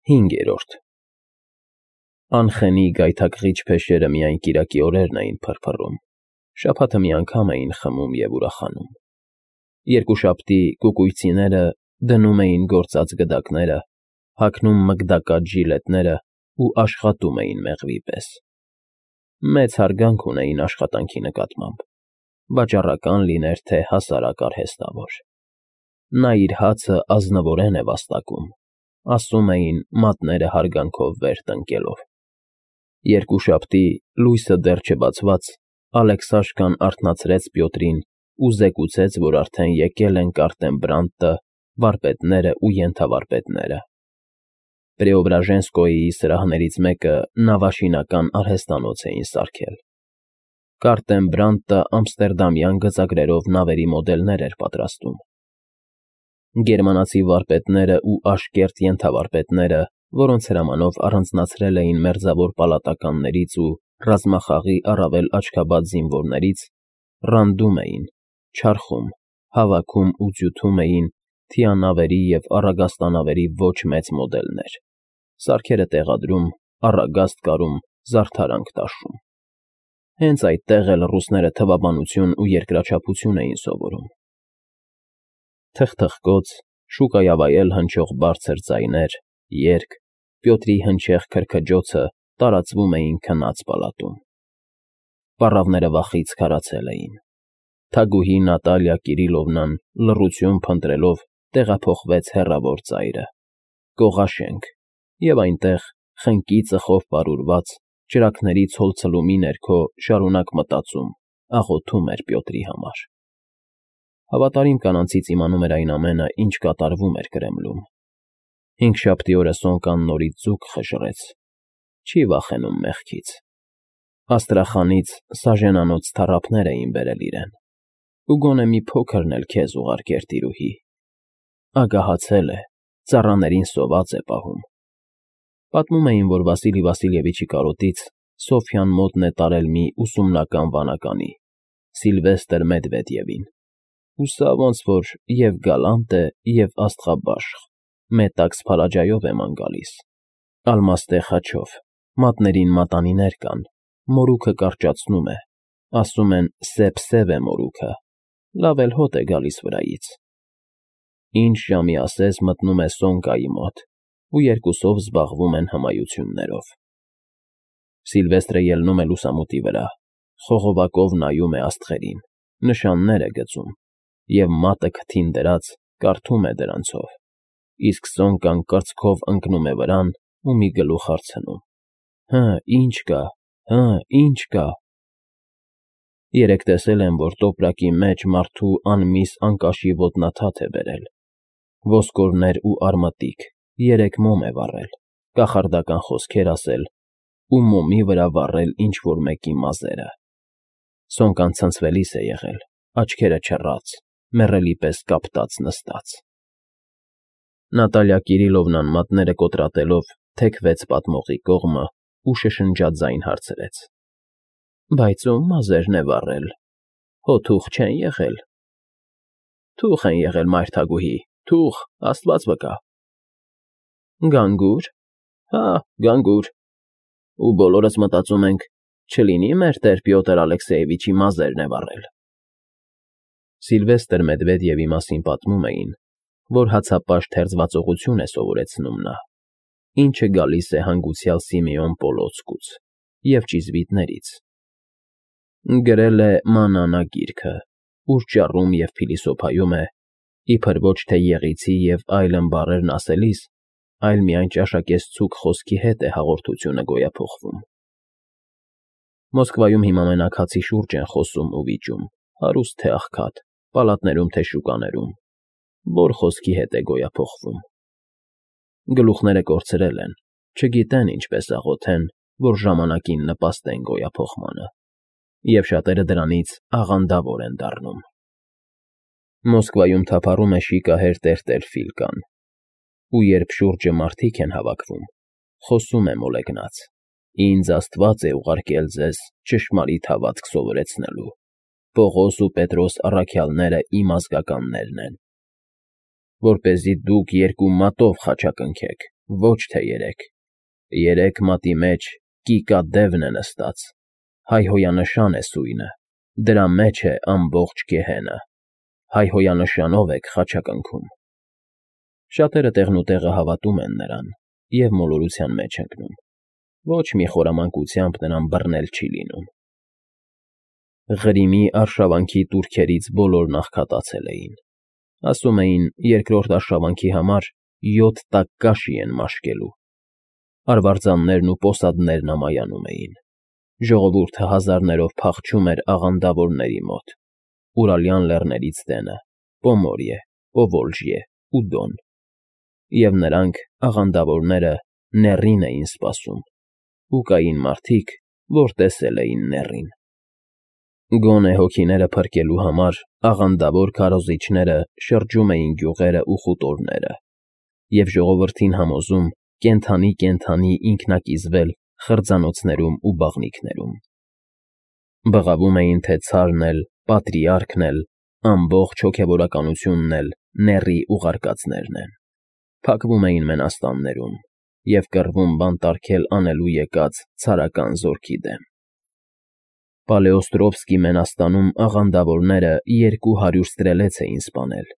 5. Անխենի գայթակղիչ փեշերը միայն կիրակի օրերն էին փրփռում, շաբաթը մի անգամ էին խմում և ուրախանում, երկուշաբթի կուկույցիները դնում էին գործած գդակները, հագնում մգդակած ժիլետները ու աշխատում էին մեղվի պես. մեծ հարգանք ունեին աշխատանքի նկատմամբ, վաճառական լիներ, թե հասարակ արհեստավոր. նա իր հացը ազնվորեն է վաստակում, ասում էին մատները հարգանքով վեր տնկելով. Երկուշաբթի, լույսը դեռ չբացված, Ալեքսաշկան արթնացրեց Պյոտրին ու զեկուցեց, որ արդեն եկել են Կարտեմբրանտը, վարպետները ու ենթավարպետները. Պրեոբրաժենսկոյի սրահներից մեկը նավաշինական արհեստանոց էին սարքել. Կարտեմբրանտը ամստերդամյան գծագրերով նավերի մոդելներ էր պատրաստում. Գերմանացի վարպետները ու աշկերտ ենթավարպետները, որոնց հրամանով առանձնացրել էին մերձավոր պալատականներից ու ռազմախաղի առավել աչքաբաց զինվորներից, ռանդում էին, չարխում, հավաքում ու ձյութում էին թիանավերի և առագաստանավերի ոչ մեծ մոդելներ, սարքերը տեղադրում, առագաստ կարում, զարդարանք տաշում. Հենց այդտեղ էլ ռուսները թվաբանություն ու երկրաչափություն էին սովորում. Թխթխկոց, շուկայավայել հնչող բարձր ձայներ, երգ, Պյոտրի հնչեղ քրքջոցը տարածվում էին քնած պալատում. Պառավները վախից քարացել էին. Թագուհի Նատալիա Կիրիլովնան լռություն փնտրելով տեղափոխվեց հեռավոր ծայրը, կողաշենք, և այնտեղ, խնկի ծխով պարուրված, ճրագների ցոլցլումի ներքո շարունակ մտածում, աղոթում էր Պյոտրի համար. Հավատարիմ կանանցից իմանում էր այն ամենը, ինչ կատարվում էր Կրեմլում. հինգշաբթի օրը Սոնկան նորից ձուկ խժռեց, չի վախենում մեղքից, Աստրախանից սաժենանոց թառափներ էին բերել իրեն, ու գոնե մի փոքրն էլ քեզ ուղարկեր տիրուհի, ագահացել է, ծառաներին սոված է պահում. Պատմում էին, որ Վասիլի Վասիլևիչի կարոտից Սոֆյան մոտն է տարել մի ուսումնական վանականի, Սիլվեստր Մեդվեդևին, ու սա ոնց որ և գալանտ է, և աստղաբաշխ, մետաքս Փալաջայով է ման գալիս, ալմաստե խաչով, մատներին մատանիներ կան, մորուքը կարճացնում է, ասում են սև է մորուքը, լավ էլ հոտ է գալիս վրայից. Ինչ ժամի ասես մտնում է Սոնկայի մոտ, ու երկուսով զբաղվում են հմայություններով. Սիլվեստրը ելնում է լուսամուտի վրա, խողովակով նայում է աստղերին, նշաններ է գծում, և մատը քթին դրած կարդում է դրանցով, իսկ Սոնկան կրծքով ընկնում է վրան ու մի գլուխ հարցնում. Հը, ինչ կա, հը, ինչ կա… Երեկ տեսել եմ, որ տոպրակի մեջ մարդու անմիս անկաշի ոտնաթաթ է բերել, ոսկորներ ու արմատիկ, 3 մոմ է վառել, կախարդական խոսքեր ասել ու մոմի վրա վառել ինչ֊որ մեկի մազերը. Սոնկան ցնցվելիս է եղել, աչքերը չռած, մեռելի պես կապտած նստած… Նատալիա Կիրիլովնան մատները կոտրատելով թեքվեց պատմողի կողմը ու շշնջաձայն հարցրեց. Բայց ո՞ւմ մազերն է վառել, հո թուղ չեն եղել… Թուղ են եղել, մայր թագուհի, թուղ, աստված վկա… Գանգուր… Հա, գանգուր… Ու բոլորս մտածում ենք, չլինի՞ մեր տեր Պյոտր Ալեքսեևիչի մազերն է վառել… Սիլվեստր Մեդվեդևի մասին պատմում էին, որ հացապաշտ հերձվածողություն է սովորեցնում նա, ինչը գալիս է հանգուցյալ Սիմեոն Պոլոցկուց և ճիզվիտներից… Գրել է Մանանա գիրքը, ուր ճառում և փիլիսոփայում է, իբր ոչ թե եղիցի և այլն բառերն ասելիս, այլ միայն ճաշակեցցուկ խոսքի հետ է հաղորդությունը գոյափոխվում… Մոսկվայում հիմա մենակ հացի շուրջ են խոսում ու վիճում, հարուստ թե աղքատ, պալատներում թե շուկաներում, որ խոսքի հետ է գոյափոխվում… Գլուխները կորցրել են, չգիտեն ինչպես աղոթեն, որ ժամանակին նպաստեն գոյափոխմանը, և շատերը դրանից աղանդավոր են դառնում… Մոսկվայում թափառում է շիկահեր տերտեր Ֆիլկան, ու երբ շուրջը մարդիկ են հավաքվում, խոսում է մոլեգնած. Ինձ Աստված է ուղարկել ձեզ ճշմարիտ հավատք սովորեցնելու, Պողոս ու Պետրոս առաքյալները իմ ազգականներն են, որպեսզի դուք երկու մատով խաչակնքեք, ոչ թե երեք։ Երեք մատի մեջ կիկադևն է նստած, հայհոյանշան է սույնը, դրա մեջ է ամբողջ գեհենը, հայհոյանշանով եք խաչակնքում։ Շատերը տեղնուտեղը հավատում են նրան և մոլորության մեջ ընկնում, ոչ մի խորամանկությամբ նրան բռնել չի լինում։ Ղրիմի արշավանքի տուրքերից բոլորն աղքատացել էին, ասում էին երկրորդ արշավանքի համար 7 տակ կաշի են մաշկելու։ Արվարձաններն ու պոսադներն ամայանում էին, ժողովուրդը հազարներով փախչում էր աղանդավորների մոտ, Ուրալյան լեռներից դենը, Պոմորիե, Պովոլժիե ու Դոն, և նրանք, աղանդավորները, նեռին էին սպասում, ու կային մարդիկ, որ տեսել էին նեռին։ Գոնե հոգիները փրկելու համար աղանդավոր քարոզիչները շրջում էին գյուղերը ու խուտորները և ժողովրդին համոզում կենդանի ինքնակիզվել խրձանոցներում ու բաղնիքներում։ Բղավում էին, թե ցարն էլ, պատրիարքն էլ, ամբողջ հոգևորականությունն էլ նեռի ուղարկածներն են, փակվում էին մենաստաններում և կռվում բանտարկել անելու եկած ցարական զորքի դեմ։ Պալեոստրովսկի մենաստանում աղանդավորները 200 ստրելեց էին սպանել,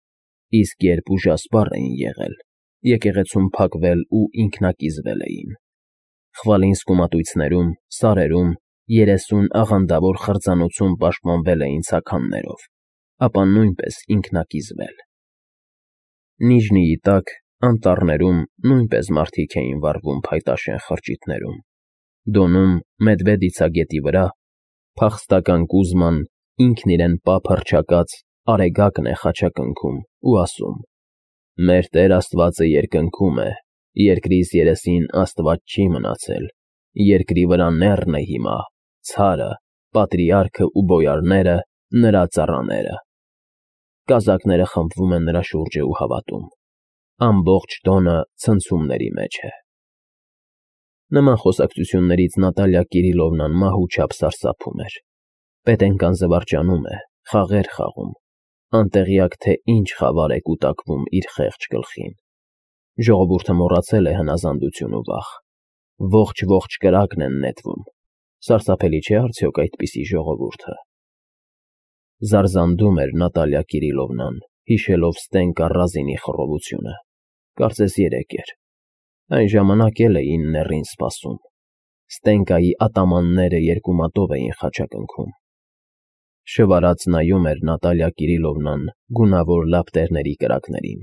իսկ երբ ուժասպառ էին եղել, եկեղեցում փակվել ու ինքնակիզվել էին։ Խվալինսկու մատույցներում, սարերում 30 աղանդավոր խրձանոցում պաշտպանվել էին ցաքաններով, ապա նույնպես ինքնակիզվել։ Նիժնիի տակ, անտառներում նույնպես մարդիկ էին վառվում փայտաշեն խրճիթներում։ Դոնում, Մեդվեդիցա գետի վրա, փախստական Կուզման ինքն իրեն պապ հռչակած Արեգակն է խաչակնքում ու ասում. «Մեր Տեր Աստվածը երկնքում է, երկրիս երեսին Աստված չի մնացել, երկրի վրա նեռն է հիմա, ցարը, պատրիարքը ու բոյարները, նրա ծառաները»։ Կազակները խմբվում են նրա շուրջը ու հավատում։ Ամբողջ Դոնը ցնցումների մեջ է։ Նման խոսակցություններից Նատալիա Կիրիլովնան մահուչափ սարսափում էր։ Պետենկան զվարճանում է, խաղեր խաղում, անտեղյակ թե ինչ խավար է կուտակվում իր խեղճ գլխին։ Ժողովուրդը մոռացել է հնազանդություն ու վախ։ Ողջ կրակն են նետվում։ Սարսափելի չէ՞ արդյոք այդպիսի ժողովուրդը։ Զարզանդում էր Նատալիա Կիրիլովնան, հիշելով Ստենկա Ռազինի խռովությունը։ Կարծես երեկ էր։ Այն ժամանակ էլ էին նեռին սպասում։ Ստենկայի ատամանները երկու մատով էին խաչակնքում։ Շվարած նայում էր Նատալիա Կիրիլովնան գունավոր լապտերների կրակներին,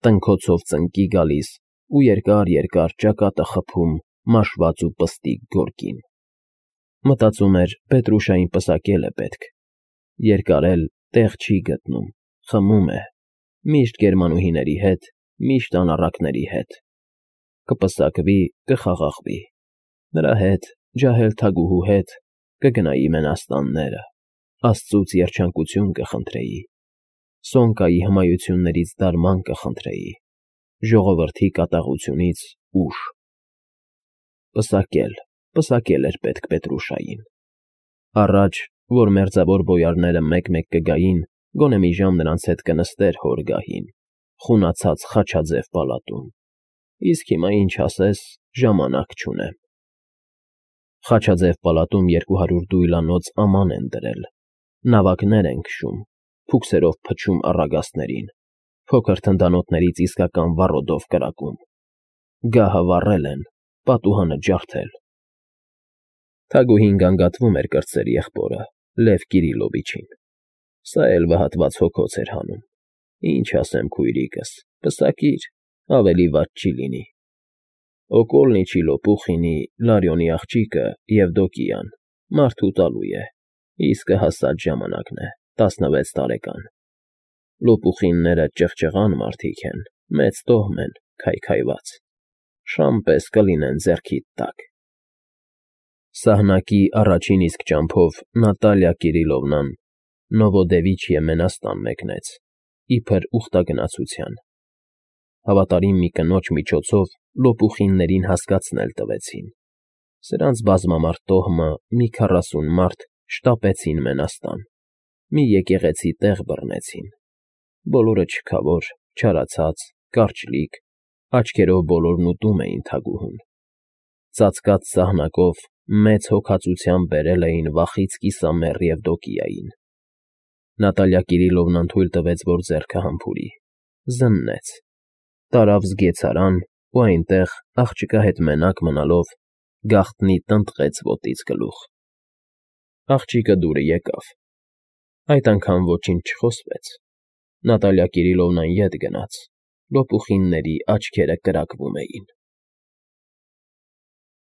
տնքոցով ծնկի գալիս ու երկար ճակատը խփում մաշված ու պստիկ գորգին։ Մտածում էր Պետրուշային պսակել է պետք։ Երկարել տեղ չի գտնում, խմում է, միշտ գերմանուհիների հետ, միշտ անառակների հետ։ Կպսակվի, կխաղաղվի։ Նրա հետ, ջահել թագուհու հետ, կգնայի մենաստանները, Աստծուց երջանկություն կխնդրեի, Սոնկայի հմայություններից դարման կխնդրեի, ժողովրդի կատաղությունից ուժ։ Պսակել էր պետք Պետրուշային։ Առաջ, որ մերձավոր բոյարները մեկ-մեկ կգային, գոնե մի ժամ նրանց հետ կնստեր հոր գահին, խունացած խաչաձև պալատում, իսկ հիմա ինչ ասես, ժամանակ չունեմ։ Խաչաձև պալատում 200 դույլանոց աման են դրել, նավակներ են քշում, փուքսերով փչում առագաստներին, փոքր թնդանոթներից իսկական վառոդով կրակում։ Գահը վառել են, պատուհանը ջարդել։ Թագուհին գանգատվում էր կրտսեր եղբորը, Լև Կիրիլովիչին։ Սա էլ վհատված հոգոց էր հանում։ Ինչ ասեմ քույրիկս, պսակիր, ավելի վատ չի լինի։ Օկոլնիչի Լոպուխինի, Լարյոնի աղջիկը, Եվդոկիան, մարդու տալու է, իսկը հասած ժամանակն է, 16 տարեկան։ Լոպուխինները ճղճղան մարդիկ են, մեծ տոհմ են, քայքայված։ Շամ պես կլինեն ձեռքիդ տակ։ Սահնակի առաջին իսկ ճամփով Նատալիա Կիրիլովնան Նովոդևիչիե մենաստան մեկնեց, իբր ուխտագնացության։ Հավատարիմ մի կնոջ միջոցով Լոպուխիններին հասկացնել տվեցին։ Սրանց բազմամարդ տոհմը մի 40 մարդ շտապեցին մենաստան, մի եկեղեցի տեղ բռնեցին։ Բոլորը չքավոր, չարացած, կարճլիկ, Աչքերով բոլորն ուտում էին թագուհուն։ Ծածկած ծաղնակով մեծ հոգածությամբ բերել էին վախից կիսամեռ Եվդոկիային։ Նատալիա Կիրիլովնան թույլ տվեց, որ ձեռքը համբուրի, զննեց, տարավ զգեցարան ու այնտեղ, աղջկա հետ մենակ մնալով, գաղտնի տնտղեց ոտից գլուխ։ Աղջիկը դուր եկավ։ Այդ անգամ ոչինչ չխոսվեց։ Նատալիա Կիրիլովնան ետ գնաց, լոպուխինների աչքերը կրակվում էին։